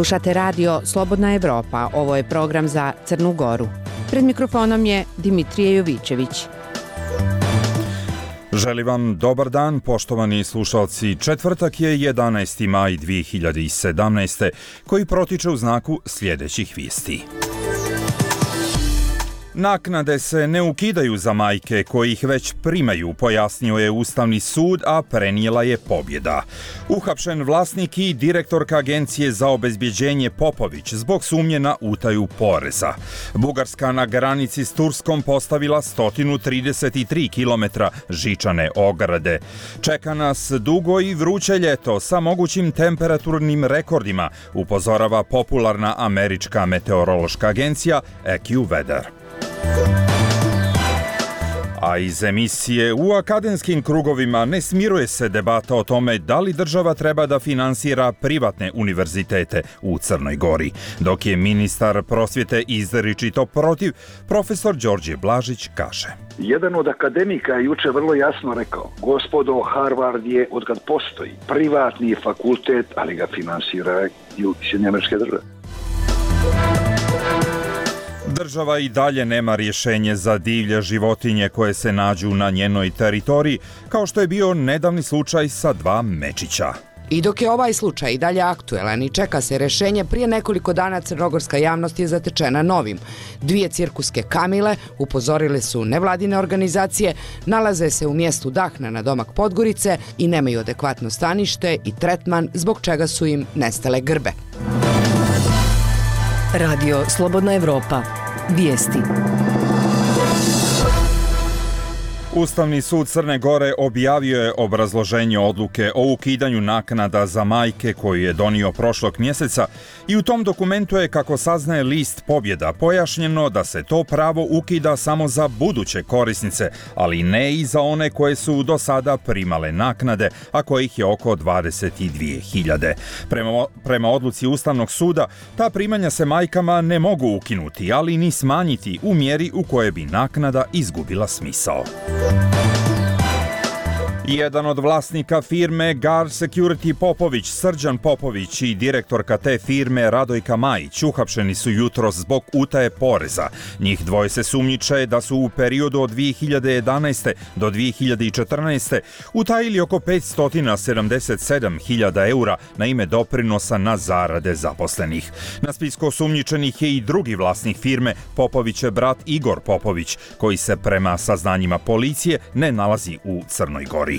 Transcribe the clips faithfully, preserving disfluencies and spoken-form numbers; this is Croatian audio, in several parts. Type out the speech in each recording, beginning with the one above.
Slušate radio Slobodna Evropa, ovo je program za Crnu Goru. Pred mikrofonom je Dimitrije Jovićević. Želim vam dobar dan, poštovani slušalci. Četvrtak je jedanaesti maj dvije hiljade sedamnaeste. koji protiče u znaku sljedećih vijesti. Naknade se ne ukidaju za majke koji ih već primaju, pojasnio je Ustavni sud, a prenijela je pobjeda. Uhapšen vlasnik i direktorka Agencije za obezbjeđenje Popović zbog sumnje na utaju poreza. Bugarska na granici s Turskom postavila sto trideset tri kilometra žičane ograde. Čeka nas dugo i vruće ljeto sa mogućim temperaturnim rekordima, upozorava popularna američka meteorološka agencija AccuWeather. A iz emisije u akademskim krugovima ne smiruje se debata o tome da li država treba da finansira privatne univerzitete u Crnoj Gori. Dok je ministar prosvjete izričito protiv, profesor Đorđe Blažić kaže: Jedan od akademika je juče vrlo jasno rekao: gospodo, Harvard je, otkad postoji, privatni fakultet, ali ga finansiraju Sjedinjene Američke Države. Država i dalje nema rješenje za divlje životinje koje se nađu na njenoj teritoriji, kao što je bio nedavni slučaj sa dva mečića. I dok je ovaj slučaj i dalje aktuelan i čeka se rješenje, prije nekoliko dana crnogorska javnost je zatečena novim. Dvije cirkuske kamile, upozorile su nevladine organizacije, nalaze se u mjestu Dahna na domak Podgorice i nemaju adekvatno stanište i tretman, zbog čega su im nestale grbe. Radio Slobodna Evropa. Vijesti. Ustavni sud Crne Gore objavio je obrazloženje odluke o ukidanju naknada za majke koju je donio prošlog mjeseca i u tom dokumentu je, kako saznaje list Pobjeda, pojašnjeno da se to pravo ukida samo za buduće korisnice, ali ne i za one koje su do sada primale naknade, a kojih je oko dvadeset dvije hiljade. Prema, prema odluci Ustavnog suda, ta primanja se majkama ne mogu ukinuti, ali ni smanjiti u mjeri u kojoj bi naknada izgubila smisao. Jedan od vlasnika firme Guard Security Popović, Srđan Popović, i direktorka te firme Radojka Majić uhapšeni su jutros zbog utaje poreza. Njih dvoje se sumnjiče da su u periodu od dvije hiljade jedanaeste do dvije hiljade četrnaeste. utajili oko petsto sedamdeset sedam hiljada eura na ime doprinosa na zarade zaposlenih. Na spisku osumnjičenih je i drugi vlasnik firme, Popovićev brat Igor Popović, koji se prema saznanjima policije ne nalazi u Crnoj Gori.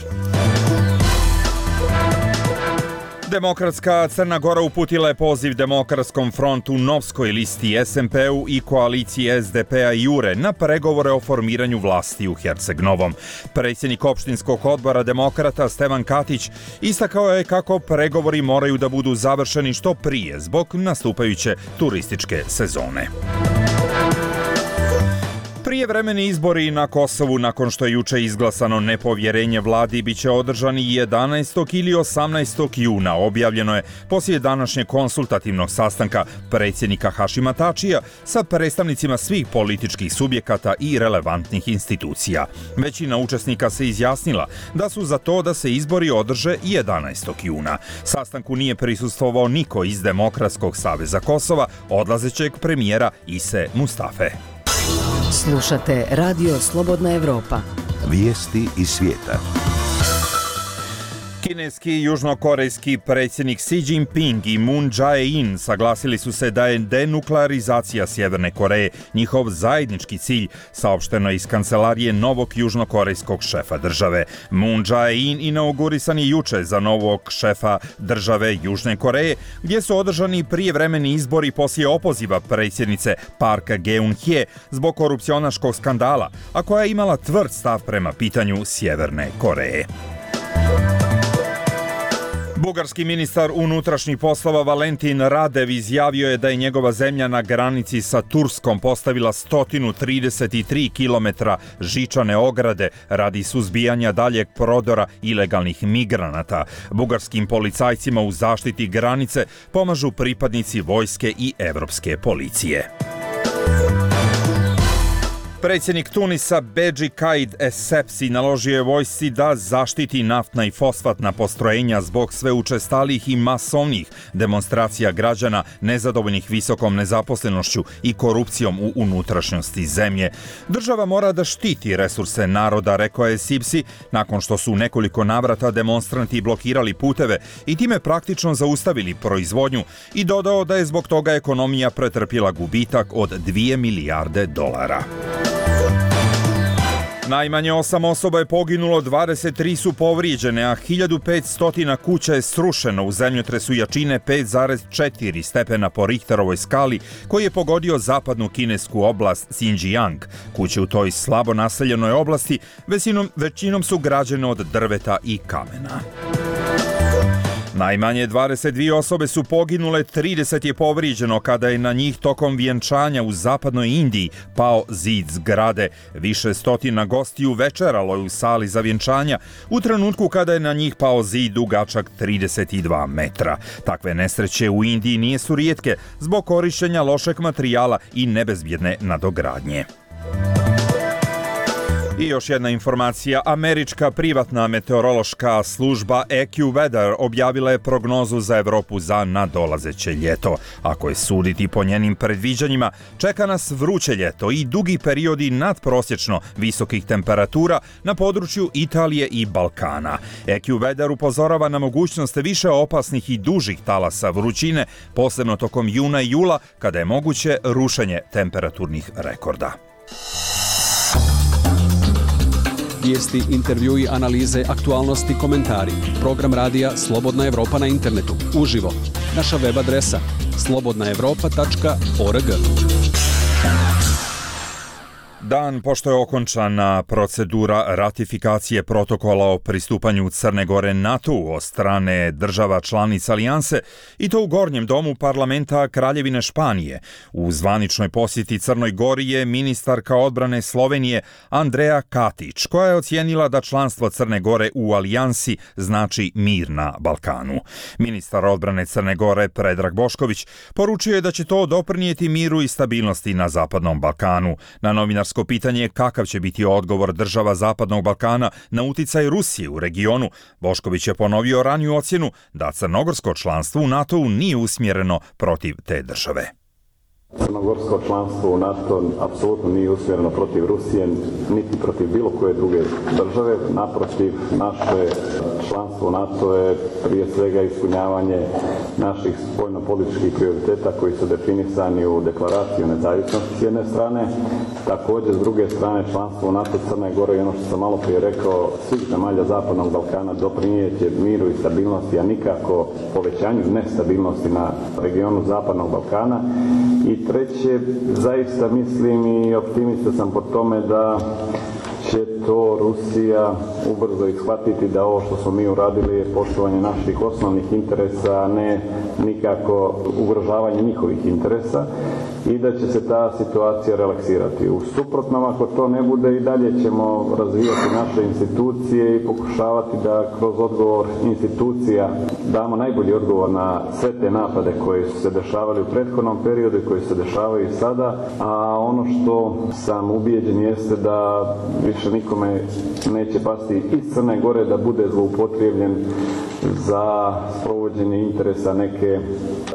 Demokratska Crna Gora uputila je poziv Demokratskom frontu, Novskoj listi, es em pe-u i koaliciji es de pe-a i Jure na pregovore o formiranju vlasti u Herceg-Novom. Predsjednik opštinskog odbora Demokrata Stevan Katić istakao je kako pregovori moraju da budu završeni što prije zbog nastupajuće turističke sezone. Prijevremeni izbori na Kosovu, nakon što je juče izglasano nepovjerenje vladi, bit će održani jedanaestog ili osamnaestog juna, objavljeno je poslije današnjeg konsultativnog sastanka predsjednika Hašima Tačija sa predstavnicima svih političkih subjekata i relevantnih institucija. Većina učesnika se izjasnila da su za to da se izbori održe jedanaestog juna. Sastanku nije prisustvovao niko iz Demokratskog saveza Kosova, odlazećeg premijera Ise Mustafe. Slušate Radio Slobodna Evropa. Vijesti iz svijeta. Kineski i južnokorejski predsjednik Xi Jinping i Moon Jae-in saglasili su se da je denuklearizacija Sjeverne Koreje njihov zajednički cilj, saopšteno iz kancelarije novog južnokorejskog šefa države. Moon Jae-in inaugurisan je juče za novog šefa države Južne Koreje, gdje su održani prijevremeni izbori poslije opoziva predsjednice Park Geun-hye zbog korupcionaškog skandala, a koja je imala tvrd stav prema pitanju Sjeverne Koreje. Bugarski ministar unutrašnjih poslova Valentin Radev izjavio je da je njegova zemlja na granici sa Turskom postavila sto trideset tri kilometra žičane ograde radi suzbijanja daljeg prodora ilegalnih migranata. Bugarskim policajcima u zaštiti granice pomažu pripadnici vojske i evropske policije. Predsjednik Tunisa Bedži Kaid Essebsi naložio je vojsci da zaštiti naftna i fosfatna postrojenja zbog sve učestalih i masovnih demonstracija građana nezadovoljnih visokom nezaposlenošću i korupcijom u unutrašnjosti zemlje. Država mora da štiti resurse naroda, rekao je Essebsi, nakon što su u nekoliko navrata demonstranti blokirali puteve i time praktično zaustavili proizvodnju, i dodao da je zbog toga ekonomija pretrpjela gubitak od dvije milijarde dolara. Najmanje osam osoba je poginulo, dvadeset tri su povrijeđene, a hiljadu petsto kuća je srušeno u zemljotresu jačine pet zarez četiri stepena po Richterovoj skali koji je pogodio zapadnu kinesku oblast Xinjiang. Kuće u toj slabo naseljenoj oblasti većinom, većinom su građene od drveta i kamena. Najmanje dvadeset dvije osobe su poginule, trideset je povrijeđeno kada je na njih tokom vjenčanja u zapadnoj Indiji pao zid zgrade. Više stotina gostiju večeralo je u sali za vjenčanja u trenutku kada je na njih pao zid dugačak trideset dva metra. Takve nesreće u Indiji nisu rijetke zbog korištenja lošeg materijala i nebezbjedne nadogradnje. I još jedna informacija. Američka privatna meteorološka služba AccuWeather objavila je prognozu za Evropu za nadolazeće ljeto. Ako je suditi po njenim predviđanjima, čeka nas vruće ljeto i dugi periodi nadprosječno visokih temperatura na području Italije i Balkana. AccuWeather upozorava na mogućnost više opasnih i dužih talasa vrućine, posebno tokom juna i jula, kada je moguće rušenje temperaturnih rekorda. Vijesti, intervjui, analize, aktualnosti, komentari. Program radija Slobodna Evropa na internetu. Uživo. Naša web adresa slobodna evropa tačka org. Dan pošto je okončana procedura ratifikacije protokola o pristupanju Crne Gore NATO od strane država članica alijanse, i to u Gornjem domu parlamenta Kraljevine Španije. U zvaničnoj posjeti Crnoj Gori je ministarka odbrane Slovenije Andreja Katić, koja je ocijenila da članstvo Crne Gore u alijansi znači mir na Balkanu. Ministar odbrane Crne Gore Predrag Bošković poručio je da će to doprinijeti miru i stabilnosti na Zapadnom Balkanu. Na novinarsko pitanje kakav će biti odgovor država Zapadnog Balkana na uticaj Rusije u regionu, Bošković je ponovio raniju ocjenu da crnogorsko članstvo u NATO-u nije usmjereno protiv te države. Crnogorsko članstvo u NATO apsolutno nije usmjereno protiv Rusije, niti protiv bilo koje druge države. Naprotiv, naše članstvo u NATO je prije svega ispunjavanje naših spoljno-političkih prioriteta koji su definisani u deklaraciji o nezavisnosti s jedne strane. Također, s druge strane, članstvo u NATO Crne Gore i ono što sam malo prije rekao, svih zemalja Zapadnog Balkana doprinijeće miru i stabilnosti, a nikako povećanju nestabilnosti na regionu Zapadnog Balkana. I treće, zaista mislim i optimista sam po tome da će to Rusija ubrzo ishvatiti, da ovo što smo mi uradili je poštovanje naših osnovnih interesa, a ne nikako ugrožavanje njihovih interesa, i da će se ta situacija relaksirati. U suprotnom, ako to ne bude, i dalje ćemo razvijati naše institucije i pokušavati da kroz odgovor institucija damo najbolji odgovor na sve te napade koji su se dešavali u prethodnom periodu i koji se dešavaju i sada, a ono što sam ubijeđen jeste da više nikome neće pasti iz Crne Gore da bude zloupotrebljen za sprovođenje interesa neke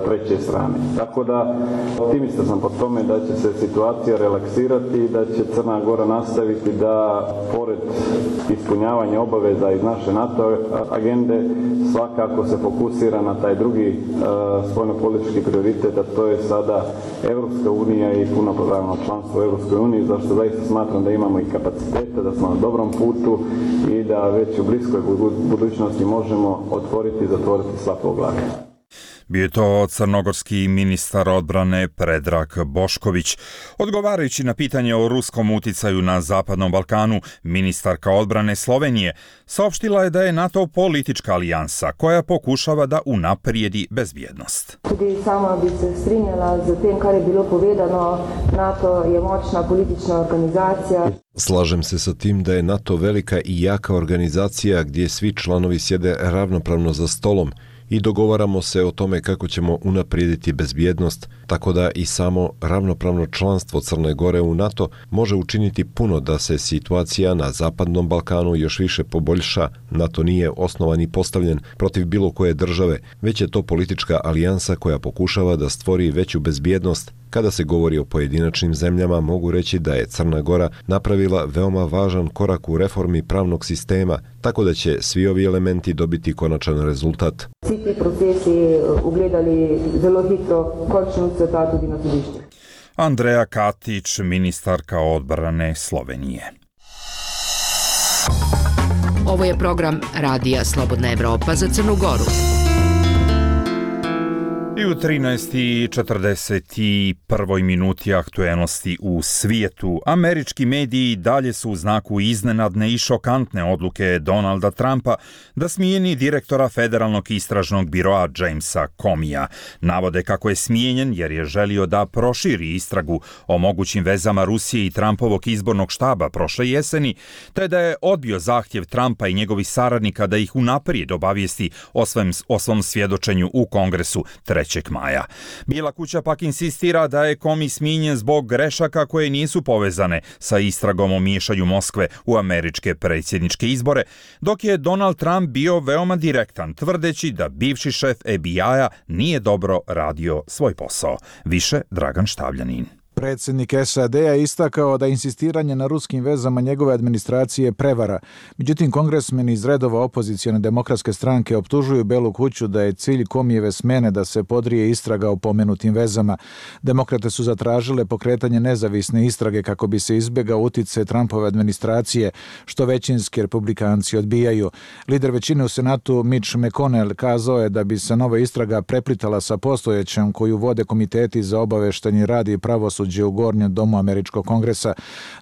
treće strane. Tako da optimista sam po tome da će se situacija relaksirati i da će Crna Gora nastaviti da, pored ispunjavanja obaveza iz naše NATO agende, svakako se fokusira na taj drugi uh, spoljnopolitički prioritet, a to je sada Evropska unija i punopravno članstvo u Evropskoj uniji, zašto zaista smatram da imamo i kapaciteta, da smo na dobrom putu i da već u bliskoj budućnosti možemo otvoriti i zatvoriti sva poglavlja. Bio je to crnogorski ministar odbrane Predrag Bošković. Odgovarajući na pitanje o ruskom uticaju na Zapadnom Balkanu, ministarka odbrane Slovenije saopštila je da je NATO politička alijansa koja pokušava da unaprijedi bezbjednost. Tudi sama bi se strinjala z tem, kar je bilo povedano. NATO je moćna politična organizacija. Slažem se sa tim da je NATO velika i jaka organizacija gdje svi članovi sjede ravnopravno za stolom i dogovaramo se o tome kako ćemo unaprijediti bezbjednost, tako da i samo ravnopravno članstvo Crne Gore u NATO može učiniti puno da se situacija na Zapadnom Balkanu još više poboljša. NATO nije osnovan i postavljen protiv bilo koje države, već je to politička alijansa koja pokušava da stvori veću bezbjednost. Kada se govori o pojedinačnim zemljama, mogu reći da je Crna Gora napravila veoma važan korak u reformi pravnog sistema, tako da će svi ovi elementi dobiti konačan rezultat. Svi ti procesi ugledali zelo hitro končnu crta tudi na sodišču. Andreja Katić, ministarka odbrane Slovenije. Ovo je program Radija Slobodna Evropa za Crnu Goru. I u trinaest i četrdeset prvoj minuti aktuelnosti u svijetu. Američki mediji dalje su u znaku iznenadne i šokantne odluke Donalda Trumpa da smijeni direktora Federalnog istražnog biroa Jamesa Comeyja. Navode kako je smijenjen jer je želio da proširi istragu o mogućim vezama Rusije i Trumpovog izbornog štaba prošle jeseni, te da je odbio zahtjev Trumpa i njegovih saradnika da ih unaprijed obavijesti o svom, o svom svjedočenju u Kongresu trećeg maja. Bijela kuća pak insistira da je Comey smijenjen zbog grešaka koje nisu povezane sa istragom o miješanju Moskve u američke predsjedničke izbore, dok je Donald Trump bio veoma direktan, tvrdeći da bivši šef F B I-a nije dobro radio svoj posao. Više Dragan Štavljanin. Predsjednik S A D-a je istakao da insistiranje na ruskim vezama njegove administracije prevara. Međutim, kongresmeni iz redova opozicijone demokratske stranke optužuju Belu kuću da je cilj Comeyjeve smjene da se podrije istraga o pomenutim vezama. Demokrate su zatražile pokretanje nezavisne istrage kako bi se izbjegao utjecaj Trumpove administracije, što većinski republikanci odbijaju. Lider većine u Senatu Mitch McConnell kazao je da bi se nova istraga preplitala sa postojećom koju vode komiteti za obaveštenje rad i pravosuđe u Gornjem domu američkog kongresa.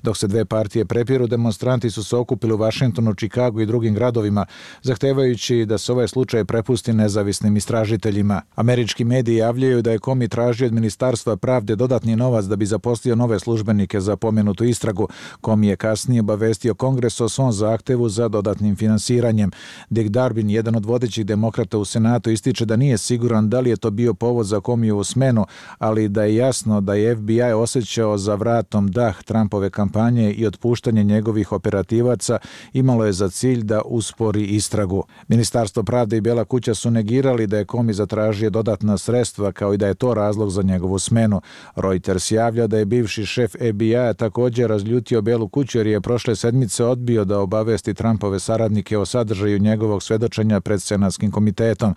Dok se dve partije prepiru, demonstranti su se okupili u Vašingtonu, Čikagu i drugim gradovima, zahtevajući da se ovaj slučaj prepusti nezavisnim istražiteljima. Američki mediji javljaju da je Comey tražio od Ministarstva pravde dodatni novac da bi zaposlio nove službenike za pomenutu istragu. Comey je kasnije obavestio Kongres o svom zahtevu za dodatnim finansiranjem. Dick Durbin, jedan od vodećih demokrata u Senatu, ističe da nije siguran da li je to bio povod za Comeyjevu smenu, ali da je jasno da je F B I osjećao za vratom dah Trumpove kampanje i otpuštanje njegovih operativaca imalo je za cilj da uspori istragu. Ministarstvo pravde i Bijela kuća su negirali da je Comey zatražio dodatna sredstva, kao i da je to razlog za njegovu smenu. Reuters javlja da je bivši šef F B I-a također razljutio Bijelu kuću jer je prošle sedmice odbio da obavesti Trumpove saradnike o sadržaju njegovog svedočenja pred Senatskim komitetom.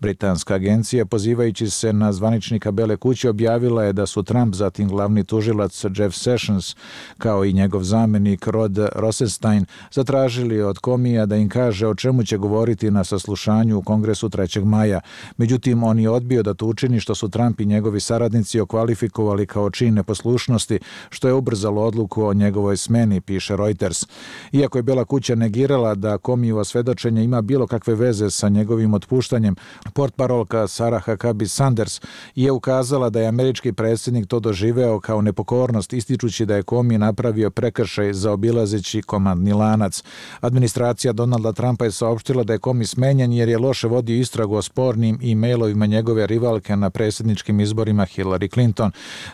Britanska agencija, pozivajući se na zvaničnika Bijele kuće, objavila je da su Trump, zatim glavni tužilac Jeff Sessions, kao i njegov zamjenik Rod Rosenstein, zatražili od Comeyja da im kaže o čemu će govoriti na saslušanju u Kongresu trećeg maja. Međutim, on je odbio da to učini, što su Trump i njegovi saradnici okvalifikovali kao čin neposlušnosti, što je ubrzalo odluku o njegovoj smeni, piše Reuters. Iako je Bijela kuća negirala da Comeyjevo svedočenje ima bilo kakve veze sa njegovim otpuštanjem, portparolka Sarah Huckabee Sanders je ukazala da je američki predsjednik to doživeo kao nepokornost, ističući da je Comey napravio prekršaj zaobilazeći komandni lanac. Administracija Donalda Trumpa je saopštila da je Comey smenjen jer je loše vodio istragu o spornim e-mailovima njegove rivalke na predsjedničkim izborima Hillary Clinton.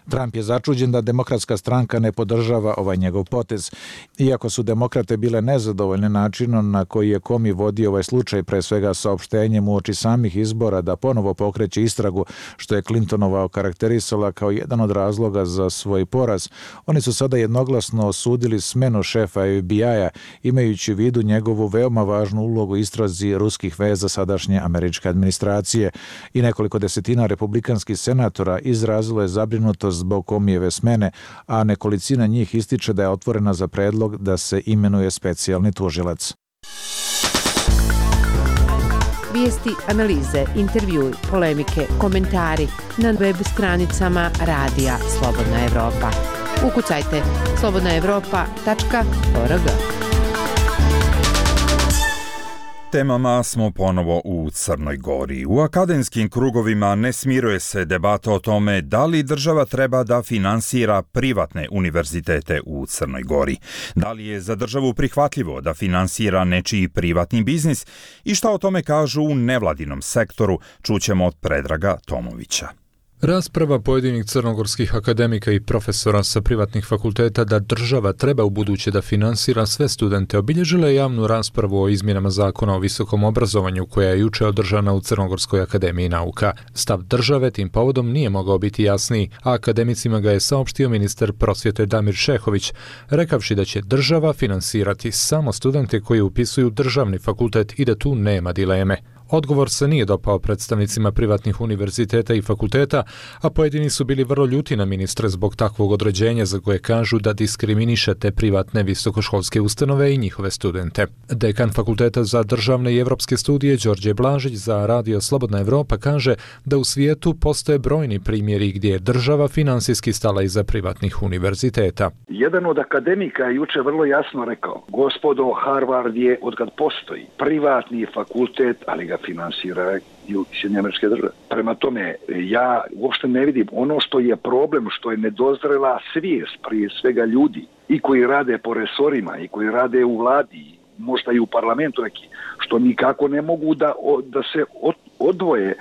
Trump je začuđen da demokratska stranka ne podržava ovaj njegov potez. Iako su demokrate bile nezadovoljne načinom na koji je Comey vodio ovaj slučaj, pre svega saopštenjem uoči samih izbora da ponovo pokreće istragu, što je Clintonova okarakterisala kao jedan od razloga za svoj poraz, oni su sada jednoglasno osudili smenu šefa F B I-a, imajući u vidu njegovu veoma važnu ulogu u istrazi ruskih veza sadašnje američke administracije. I nekoliko desetina republikanskih senatora izrazilo je zabrinutost zbog Comeyjeve smene, a nekolicina njih ističe da je otvorena za predlog da se imenuje specijalni tužilac. Vijesti, analize, intervjui, polemike, komentari na web stranicama Radija Slobodna Evropa. Ukucajte slobodna evropa tačka org. Temama smo ponovo u Crnoj Gori. U akademskim krugovima ne smiruje se debata o tome da li država treba da finansira privatne univerzitete u Crnoj Gori. Da li je za državu prihvatljivo da finansira nečiji privatni biznis i šta o tome kažu u nevladinom sektoru, čućemo od Predraga Tomovića. Rasprava pojedinih crnogorskih akademika i profesora sa privatnih fakulteta da država treba u buduće da finansira sve studente obilježila je javnu raspravu o izmjenama zakona o visokom obrazovanju koja je juče održana u Crnogorskoj akademiji nauka. Stav države tim povodom nije mogao biti jasniji, a akademicima ga je saopštio ministar prosvjete Damir Šehović, rekavši da će država finansirati samo studente koji upisuju državni fakultet i da tu nema dileme. Odgovor se nije dopao predstavnicima privatnih univerziteta i fakulteta, a pojedini su bili vrlo ljuti na ministre zbog takvog određenja za koje kažu da diskriminiše te privatne visokoškolske ustanove i njihove studente. Dekan Fakulteta za državne i evropske studije Đorđe Blažić za Radio Slobodna Evropa kaže da u svijetu postoje brojni primjeri gdje je država finansijski stala iza privatnih univerziteta. Jedan od akademika je juče vrlo jasno rekao: gospodo, Harvard je odkad postoji privatni fakultet, ali ga finansiraju Sjedinjene Američke Države. Prema tome, ja uopšte ne vidim ono što je problem, što je nedozrela svijest prije svega ljudi i koji rade po resorima i koji rade u vladi, možda i u parlamentu neki, što nikako ne mogu da, da se odvoje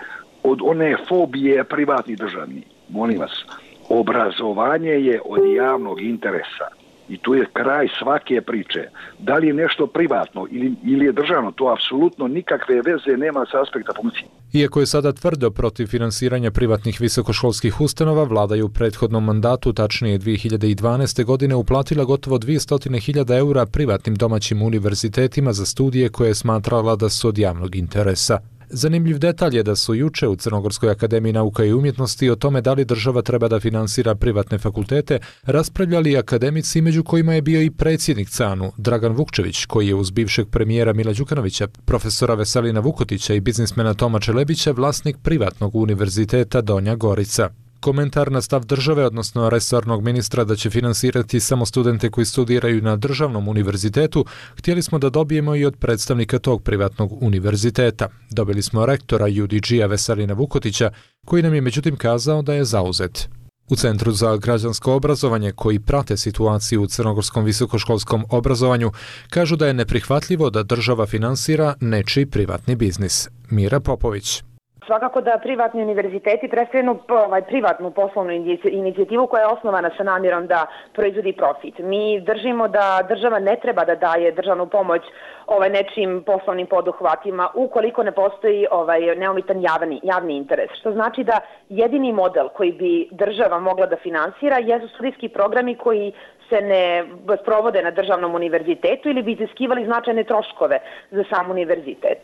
od one fobije privatnih državnih. Molim vas, obrazovanje je od javnog interesa. I tu je kraj svake priče. Da li je nešto privatno ili, ili je državno, to apsolutno nikakve veze nema sa aspekta funkcije. Iako je sada tvrdo protiv finansiranja privatnih visokoškolskih ustanova, vlada je u prethodnom mandatu, tačnije dvije hiljade dvanaeste. godine, uplatila gotovo dvjesto hiljada eura privatnim domaćim univerzitetima za studije koje je smatrala da su od javnog interesa. Zanimljiv detalj je da su juče u Crnogorskoj akademiji nauka i umjetnosti o tome da li država treba da finansira privatne fakultete raspravljali akademici, među kojima je bio i predsjednik C A N U Dragan Vukčević, koji je uz bivšeg premijera Mila Đukanovića, profesora Veselina Vukotića i biznismena Toma Čelebića vlasnik privatnog univerziteta Donja Gorica. Komentar na stav države, odnosno resornog ministra da će finansirati samo studente koji studiraju na državnom univerzitetu, htjeli smo da dobijemo i od predstavnika tog privatnog univerziteta. Dobili smo rektora U D G-a Veselina Vukotića, koji nam je međutim kazao da je zauzet. U Centru za građansko obrazovanje, koji prate situaciju u crnogorskom visokoškolskom obrazovanju, kažu da je neprihvatljivo da država finansira nečiji privatni biznis. Mira Popović. Svakako da privatni univerziteti predstavljaju ovaj, privatnu poslovnu inicijativu koja je osnovana sa namjerom da proizvodi profit. Mi držimo da država ne treba da daje državnu pomoć ovaj, nečim poslovnim poduhvatima ukoliko ne postoji ovaj, neometan javni, javni interes. Što znači da jedini model koji bi država mogla da finansira jesu studijski programi koji se ne sprovode na državnom univerzitetu ili bi iziskivali značajne troškove za sam univerzitet.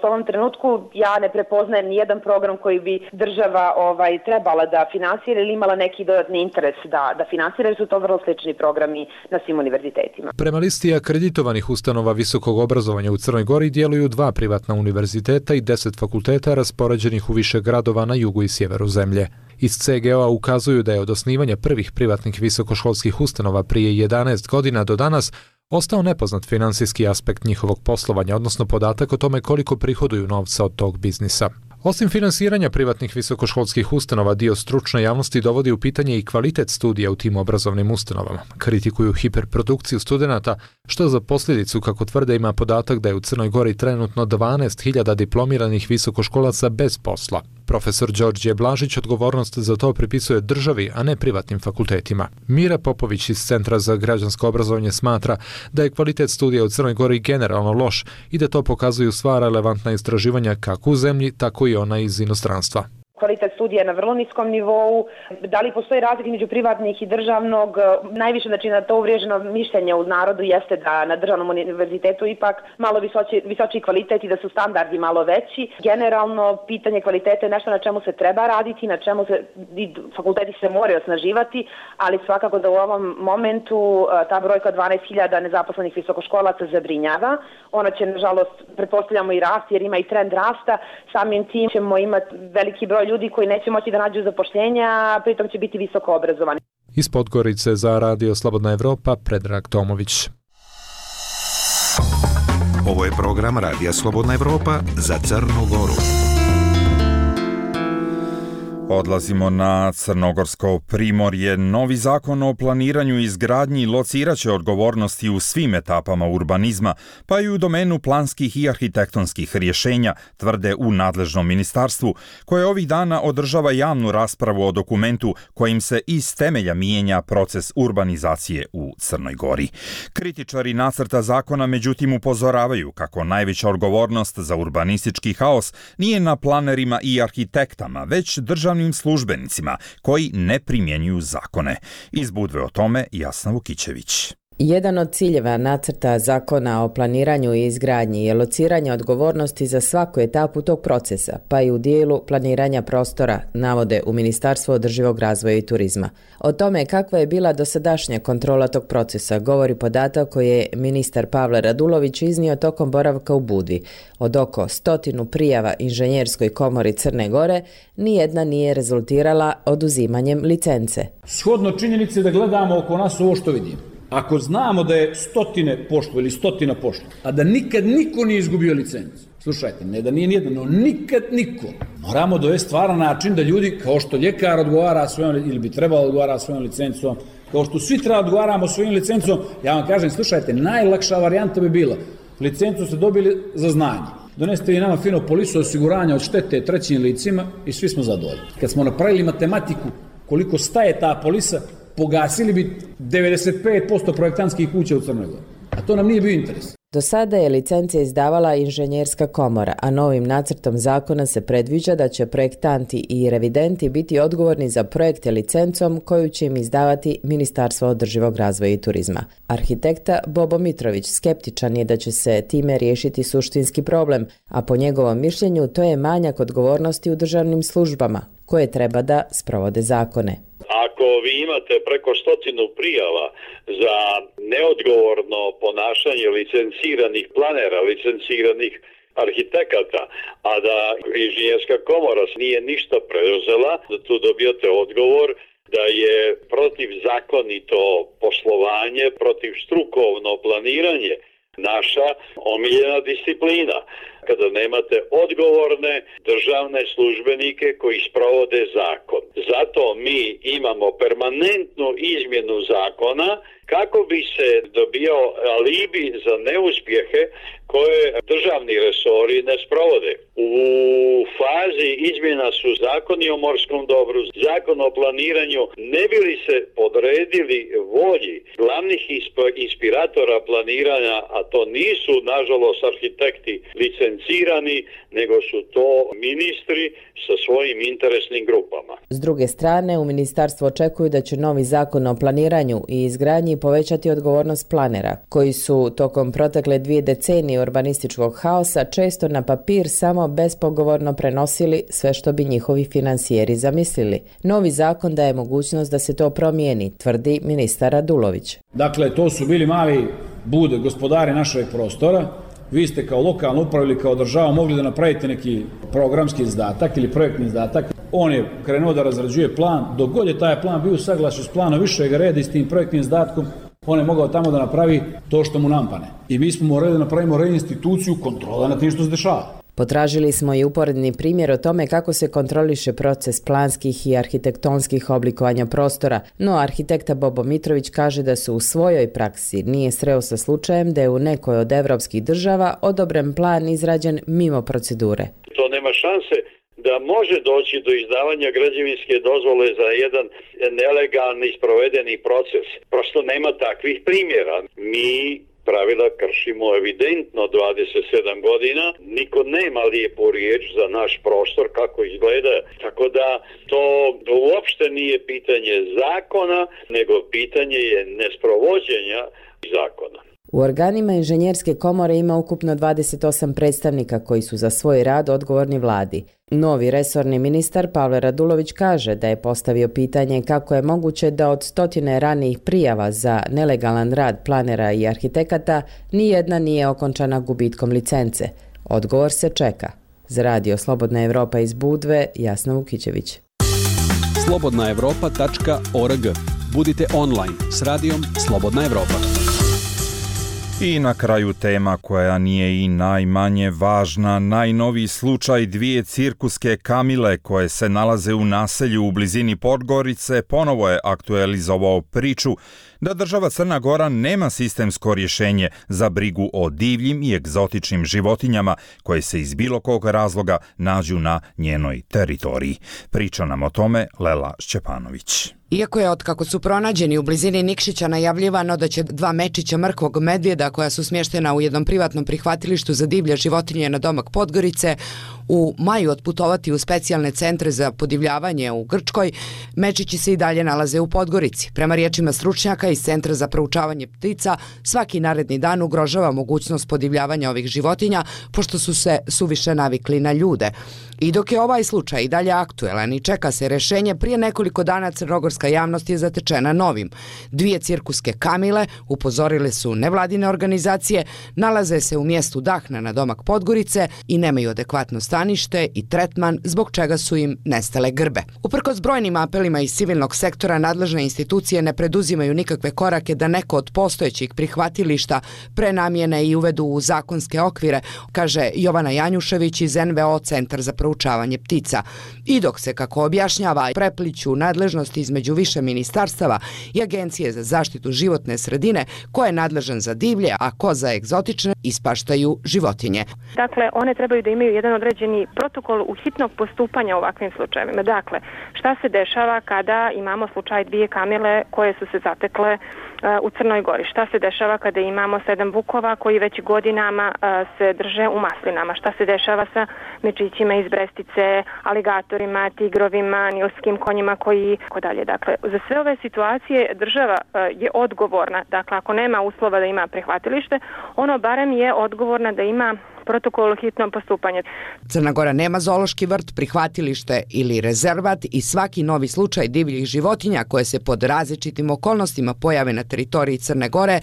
U ovom trenutku ja ne prepoznajem nijedan program koji bi država ovaj, trebala da finansira ili imala neki dodatni interes da, da finansira, jer su to vrlo slični programi na svim univerzitetima. Prema listi akreditovanih ustanova visokog obrazovanja u Crnoj Gori djeluju dva privatna univerziteta i deset fakulteta raspoređenih u više gradova na jugu i sjeveru zemlje. Iz C G O-a ukazuju da je od osnivanja prvih privatnih visokoškolskih ustanova prije jedanaest godina do danas ostao nepoznat finansijski aspekt njihovog poslovanja, odnosno podatak o tome koliko prihoduju novca od tog biznisa. Osim finansiranja privatnih visokoškolskih ustanova, dio stručne javnosti dovodi u pitanje i kvalitet studija u tim obrazovnim ustanovama. Kritikuju hiperprodukciju studenata, što za posljedicu, kako tvrde, ima podatak da je u Crnoj Gori trenutno dvanaest hiljada diplomiranih visokoškolaca bez posla. Profesor Đorđe Blažić odgovornost za to pripisuje državi, a ne privatnim fakultetima. Mira Popović iz Centra za građansko obrazovanje smatra da je kvalitet studija u Crnoj Gori generalno loš i da to pokazuju sva relevantna istraživanja kako u zemlji, tako i ona iz inostranstva. Kvalitet studija je na vrlo niskom nivou. Da li postoji razlika među privatnih i državnog? Najviše, znači, na to uvriježeno mišljenje u narodu jeste da na državnom univerzitetu ipak malo visoči, visoči kvalitet i da su standardi malo veći. Generalno, pitanje kvaliteta je nešto na čemu se treba raditi, na čemu se fakulteti se moraju osnaživati, ali svakako da u ovom momentu ta brojka dvanaest hiljada nezaposlenih visokoškolaca zabrinjava. Ona će, nažalost, pretpostavljamo i rast, jer ima i trend rasta. Samim tim ćemo imati veliki broj ljudi koji neće moći da nađu zapošljenja, a pritom će biti visoko obrazovani. Iz Podgorice za Radio Slobodna Evropa, Predrag Tomović. Ovo je program Radija Slobodna Evropa za Crnu Goru. Odlazimo na Crnogorsko primorje. Novi zakon o planiranju i izgradnji lociraće odgovornosti u svim etapama urbanizma, pa i u domenu planskih i arhitektonskih rješenja, tvrde u nadležnom ministarstvu, koje ovih dana održava javnu raspravu o dokumentu kojim se iz temelja mijenja proces urbanizacije u Crnoj Gori. Kritičari nacrta zakona međutim upozoravaju kako najveća odgovornost za urbanistički haos nije na planerima i arhitektama, već državnim službenicima koji ne primjenjuju zakone. Iz Budve o tome Jasna Vukićević. Jedan od ciljeva nacrta zakona o planiranju i izgradnji je lociranje odgovornosti za svaku etapu tog procesa, pa i u dijelu planiranja prostora, navode u Ministarstvu održivog razvoja i turizma. O tome kakva je bila dosadašnja kontrola tog procesa govori podatak koji je ministar Pavle Radulović iznio tokom boravka u Budvi. Od oko stotinu prijava Inženjerskoj komori Crne Gore, nijedna nije rezultirala oduzimanjem licence. Shodno činjenice da gledamo oko nas ovo što vidimo. Ako znamo da je stotine pošlo ili stotina pošlo, a da nikad niko nije izgubio licencu, slušajte, ne da nije nijedan, no nikad niko, moramo dovesti stvaran način da ljudi, kao što ljekar odgovara svojom, ili bi trebalo odgovara svojom licencom, kao što svi treba odgovaramo svojim licencom, ja vam kažem, slušajte, najlakša varijanta bi bila, licencu ste dobili za znanje. Doneste vi nama fino polisu osiguranja od štete trećim licima i svi smo zadovoljni. Kad smo napravili matematiku koliko staje ta polisa, pogasili bi devedeset pet posto projektantskih kuća u Crnoj Gori. A to nam nije bio interes. Do sada je licence izdavala Inženjerska komora, a novim nacrtom zakona se predviđa da će projektanti i revidenti biti odgovorni za projekte licencom koju će im izdavati Ministarstvo održivog razvoja i turizma. Arhitekta Bobo Mitrović skeptičan je da će se time riješiti suštinski problem, a po njegovom mišljenju to je manjak odgovornosti u državnim službama, koje treba da sprovode zakone. Ako vi imate preko stotinu prijava za neodgovorno ponašanje licenciranih planera, licenciranih arhitekata, a da Inženjerska komora nije ništa preuzela, da tu dobijate odgovor da je protivzakonito poslovanje, protiv strukovno planiranje naša omiljena disciplina. Kada nemate odgovorne državne službenike koji sprovode zakon. Zato mi imamo permanentnu izmjenu zakona kako bi se dobijao alibi za neuspjehe koje državni resori ne sprovode. U fazi izmjena su zakoni o morskom dobru, zakon o planiranju, ne bi li se podredili volji glavnih inspiratora planiranja, a to nisu nažalost arhitekti licencirani, nego su to ministri sa svojim interesnim grupama. S druge strane, u ministarstvu očekuju da će novi zakon o planiranju i izgradnji povećati odgovornost planera, koji su tokom protekle dvije decenije urbanističkog haosa često na papir samo bespogovorno prenosili sve što bi njihovi finansijeri zamislili. Novi zakon daje mogućnost da se to promijeni, tvrdi ministar Radulović. Dakle, to su bili mali bude gospodari našeg prostora. Vi ste kao lokalna uprava ili kao država mogli da napravite neki programski izdatak ili projektni izdatak. On je krenuo da razrađuje plan. Dok god je taj plan bio u saglašju s planom višeg reda i s tim projektnim izdatkom, on je mogao tamo da napravi to što mu nampane. I mi smo morali da napravimo reinstituciju kontrola na tim što se dešava. Potražili smo i uporedni primjer o tome kako se kontroliše proces planskih i arhitektonskih oblikovanja prostora, no arhitekta Bobo Mitrović kaže da su u svojoj praksi nije sreo sa slučajem da je u nekoj od evropskih država odobren plan izrađen mimo procedure. To nema šanse da može doći do izdavanja građevinske dozvole za jedan nelegalni sprovedeni proces. Prosto nema takvih primjera. Mi pravila kršimo evidentno dvadeset sedam godina, niko nema lijepu riječ za naš prostor kako izgleda, tako da to uopšte nije pitanje zakona, nego pitanje je nesprovođenja zakona. U organima Inženjerske komore ima ukupno dvadeset osam predstavnika koji su za svoj rad odgovorni vladi. Novi resorni ministar Pavle Radulović kaže da je postavio pitanje kako je moguće da od stotine ranijih prijava za nelegalan rad planera i arhitekata nijedna nije okončana gubitkom licence. Odgovor se čeka. Za Radio Slobodna Evropa iz Budve, Jasna Vukićević. slobodna evropa tačka org. Budite online s radijom Slobodna Evropa. I na kraju tema koja nije i najmanje važna, najnoviji slučaj dvije cirkuske kamile koje se nalaze u naselju u blizini Podgorice ponovo je aktualizovao priču da država Crna Gora nema sistemsko rješenje za brigu o divljim i egzotičnim životinjama koje se iz bilo kog razloga nađu na njenoj teritoriji. Priča nam o tome Lela Šćepanović. Iako je otkako su pronađeni u blizini Nikšića najavljivano da će dva mečića mrkvog medvjeda koja su smještena u jednom privatnom prihvatilištu za divlje životinje na domak Podgorice u maju otputovati u specijalne centre za podivljavanje u Grčkoj, mečići se i dalje nalaze u Podgorici. Prema riječima stručnjaka iz Centra za proučavanje ptica, svaki naredni dan ugrožava mogućnost podivljavanja ovih životinja, pošto su se suviše navikli na ljude. I dok je ovaj slučaj i dalje aktuelan i čeka se rješenje, prije nekoliko dana crnogorska javnost je zatečena novim. Dvije cirkuske kamile, upozorile su nevladine organizacije, nalaze se u mjestu Dahna na domak Podgorice i nemaju adekvatno stanište i tretman, zbog čega su im nestale grbe. Uprkos brojnim apelima iz civilnog sektora, nadležne institucije ne preduzimaju nikakve korake da neko od postojećih prihvatilišta prenamjene i uvedu u zakonske okvire, kaže Jovana Janjušević iz N V O Centar za proučavanje ptica. I dok se, kako objašnjava, prepliću nadležnosti između više ministarstava i Agencije za zaštitu životne sredine, ko je nadležan za divlje, a ko za egzotične, ispaštaju životinje. Dakle, one trebaju da imaju jedan određeni protokol u hitnog postupanja u ovakvim slučajevima. Dakle, šta se dešava kada imamo slučaj dvije kamile koje su se zatekle uh, u Crnoj Gori? Šta se dešava kada imamo sedam vukova koji već godinama uh, se drže u maslinama? Šta se dešava sa mečićima iz Brestice, aligatorima, tigrovima, nilskim konjima koji ko dalje? Dakle, za sve ove situacije država uh, je odgovorna. Dakle, ako nema uslova da ima prihvatilište, ono barem je odgovorna da ima protokol o hitnom postupanju. Crna Gora nema zoološki vrt, prihvatilište ili rezervat i svaki novi slučaj divljih životinja koje se pod različitim okolnostima pojave na teritoriji Crne Gore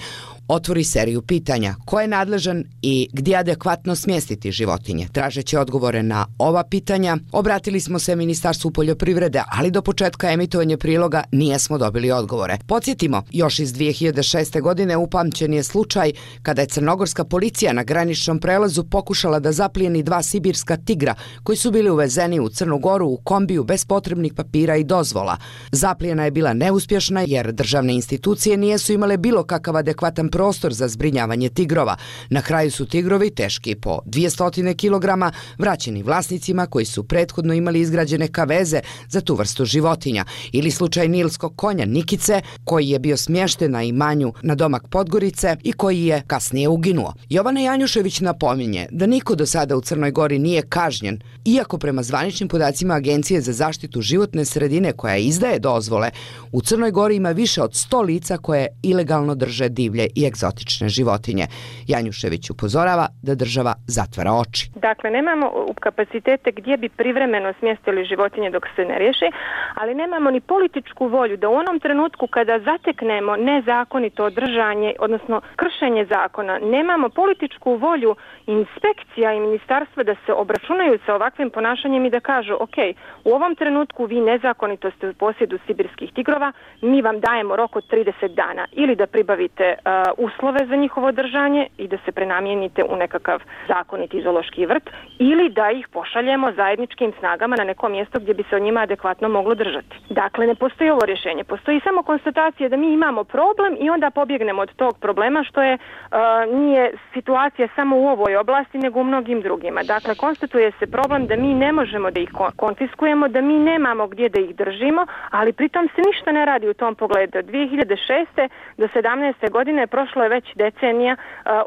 otvori seriju pitanja. Ko je nadležan i gdje adekvatno smjestiti životinje? Tražeći odgovore na ova pitanja, obratili smo se Ministarstvu poljoprivrede, ali do početka emitovanja priloga nijesmo dobili odgovore. Podsjetimo, još iz dvije hiljade šeste. godine upamćen je slučaj kada je crnogorska policija na graničnom prelazu pokušala da zaplijeni dva sibirska tigra koji su bili uvezeni u Crnu Goru u kombiju bez potrebnih papira i dozvola. Zaplijena je bila neuspješna jer državne institucije nijesu imale bilo kakav adekvatan prostor za zbrinjavanje tigrova. Na kraju su tigrovi, teški po dvjesto kilograma, vraćeni vlasnicima koji su prethodno imali izgrađene kaveze za tu vrstu životinja. Ili slučaj nilskog konja Nikice, koji je bio smješten na imanju na domak Podgorice i koji je kasnije uginuo. Jovana Janjušević napominje da niko do sada u Crnoj Gori nije kažnjen, iako prema zvaničnim podacima Agencije za zaštitu životne sredine koja izdaje dozvole, u Crnoj Gori ima više od sto lica koje ilegalno drže divlje i egzotične životinje. Janjušević upozorava da država zatvara oči. Dakle, nemamo kapacitete gdje bi privremeno smjestili životinje dok se ne riješi, ali nemamo ni političku volju da u onom trenutku kada zateknemo nezakonito držanje, odnosno kršenje zakona, nemamo političku volju inspekcija i ministarstva da se obračunaju sa ovakvim ponašanjem i da kažu, ok, u ovom trenutku vi nezakonito ste u posjedu sibirskih tigrova, mi vam dajemo rok od trideset dana ili da pribavite uh, uslove za njihovo držanje i da se prenamijenite u nekakav zakoniti zoološki vrt ili da ih pošaljemo zajedničkim snagama na neko mjesto gdje bi se o njima adekvatno moglo držati. Dakle, ne postoji ovo rješenje, postoji samo konstatacija da mi imamo problem i onda pobjegnemo od tog problema, što je uh, nije situacija samo u ovoj oblasti nego u mnogim drugima. Dakle, konstatuje se problem da mi ne možemo da ih konfiskujemo, da mi nemamo gdje da ih držimo, ali pritom se ništa ne radi u tom pogledu. Od dvije hiljade šeste. do sedamnaeste. godine prošlo je već decenija,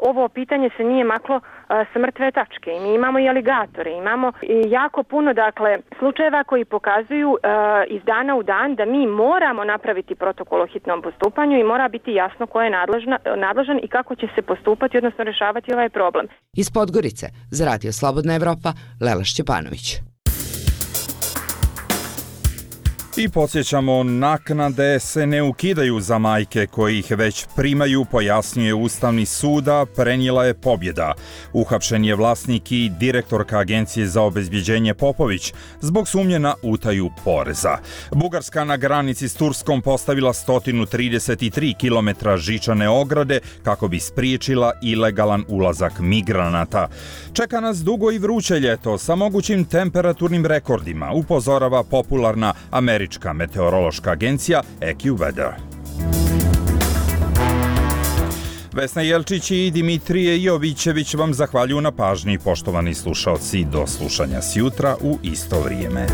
ovo pitanje se nije maklo sa mrtve tačke. I mi imamo i aligatore, imamo i jako puno dakle slučajeva koji pokazuju iz dana u dan da mi moramo napraviti protokol o hitnom postupanju i mora biti jasno ko je nadležna, nadležan i kako će se postupati, odnosno rješavati ovaj problem. Iz Podgorice za Radio Slobodna Evropa, Lela Šćepanović. I podsjećamo, naknade se ne ukidaju za majke koji ih već primaju, pojasnjuje Ustavni suda, prenijela je pobjeda. Uhapšen je vlasnik i direktorka Agencije za obezbjeđenje Popović zbog sumnje na utaju poreza. Bugarska na granici s Turskom postavila sto trideset tri kilometra žičane ograde kako bi spriječila ilegalan ulazak migranata. Čeka nas dugo i vruće ljeto sa mogućim temperaturnim rekordima, upozorava popularna američka meteorološka agencija AccuWeather. Vesna Jelčić i Dimitrije Jovićević vam zahvaljuju na pažnji, poštovani slušaoci, do slušanja sjutra u isto vrijeme.